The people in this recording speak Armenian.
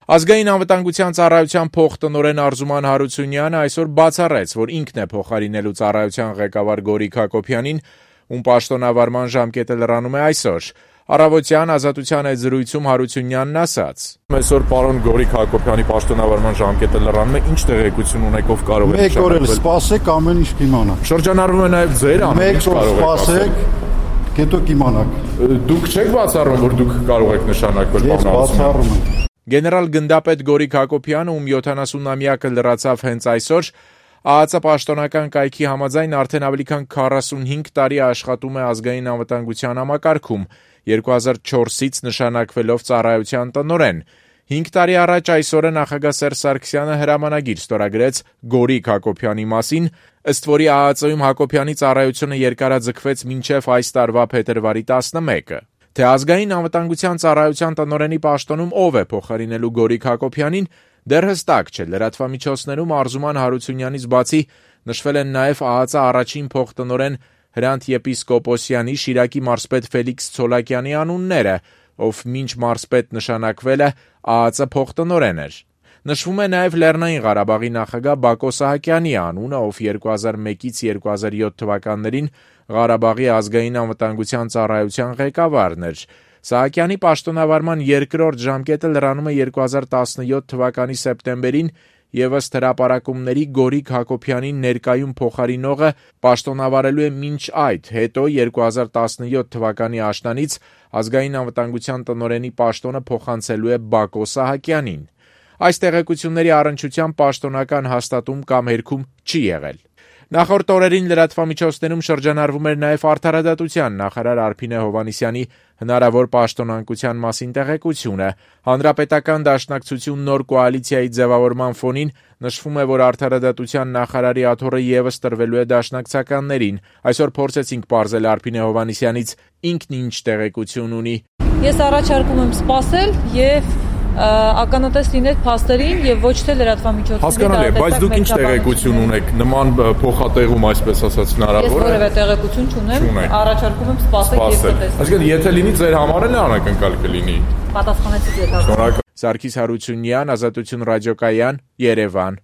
Ազգային անվտանգության ծառայության փոխտնօրեն Արզուման Հարությունյանը այսօր բացառեց, որ ինքն է փոխարինելու ծառայության ղեկավար Գորիկ Հակոբյանին, ում պաշտոնավարման ժամկետը լրանում է այսօր։ Առավոտյան Ազատության այդ զրույցում Հարությունյանն ասաց. Այսօր պարոն Գորիկ Հակոբյանի պաշտոնավարման ժամկետը լրանում է, ինչ տեղեկություն ունեք, ով կարող է Մեկ օր էլ սպասեք, ամեն ինչ կիմանաք։ Շրջանառվում է նաև ձեր ամեն ինչ կարող եք ասել։ Հետո կիմանաք։ Դուք չեք բացառում, որ դուք կարող եք նշանակվել Ես բացառում եմ։ Գեներալ գնդապետ Գորիկ Հակոբյանը, ում 70-ամյակը լրացավ հենց այսօր, ԱԱԾ պաշտոնական կայքի համաձայն արդեն ավելի քան 45 տարի աշխատում է ազգային անվտանգության համակարգում, 2004-ից նշանակվելով ծառայության տնօրեն։ 5 տարի առաջ այսօրը նախագահ Սերժ Սարգսյանը հրամանագիր ստորագրեց Գորիկ Հակոբյանի մասին, ըստ որի ԱԱԾ-ում Հակոբյանի ծառայությունը երկարաձգվեց մինչև այս տարվա փետրվարի 11-ը։ Թե ազգային անվտանգության ծառայության տնօրենի պաշտոնում ով է փոխարինելու Գորիկ Հակոբյանին, դեռ հստակ չէ։ Լրատվամիջոցներում Արզուման Հարությունյանից բացի նշվել են նաև ԱԱԾ առաջին փոխտնօրեն Հրանտ Եպիսկոպոսյանի, Շիրակի մարզպետ Ֆելիքս Ցոլակյանի անունները, ով մինչ մարզպետ նշանակվել է ԱԱԾ փոխտնօրեն էր։ Նշվում է նաև Լեռնային Ղարաբաղի նախագահ Բակո Սահակյանի անունը, ով 2001-ից 2007 թվականներին Ղարաբաղի ազգային անվտանգության ծառայության ղեկավարն էր։ Սահակյանի պաշտոնավարման երկրորդ ժամկետը լրանում է 2017 թվականի սեպտեմբերին եւ ըստ հրապարակումների Գորիկ Հակոբյանին ներկայում փոխարինողը պաշտոնավարելու է մինչ այդ, հետո 2017 թվականի աշնանից ազգային անվտանգության տնօրենի պաշտոնը փոխանցելու է Բակո Սահակյանին։ Այս տեղեկությունների առնչությամբ պաշտոնական հաստատում կամ հերքում չի եղել։ Նախորդ օրերին լրատվամիջոցներում շրջանառվում էր նաև Արդարադատության նախարար Արփինե Հովհաննիսյանի հնարավոր պաշտոնանկության մասին տեղեկությունը։ Հանրապետական դաշնակցություն նոր կոալիցիայի ձևավորման ֆոնին նշվում է, որ Արդարադատության նախարարի աթոռը ևս տրվելու է դաշնակցականներին։ Այսօր փորձեցինք պարզել Արփինե Հովհաննիսյանից ինքն ինչ տեղեկություն ունի։ Ես առաջարկում եմ սպասել եւ ականատես լինել փաստերին եւ ոչ թե լրատվամիջոցների։ Հասկանալի է, բայց դուք ինչ տեղեկություն ունեք նման փոխատեղում, այսպես ասած, հնարավոր է։ Ես որևէ տեղեկություն չունեմ, առաջարկում եմ սպասել եւ տեսնել։ Այսինքն, եթե լինի ձեր համար էլ անակնկալ կլինի։ Պատասխանեցիք եթե։ Սարգիս Հարությունյան, Ազատություն ռադիոկայան, Երևան։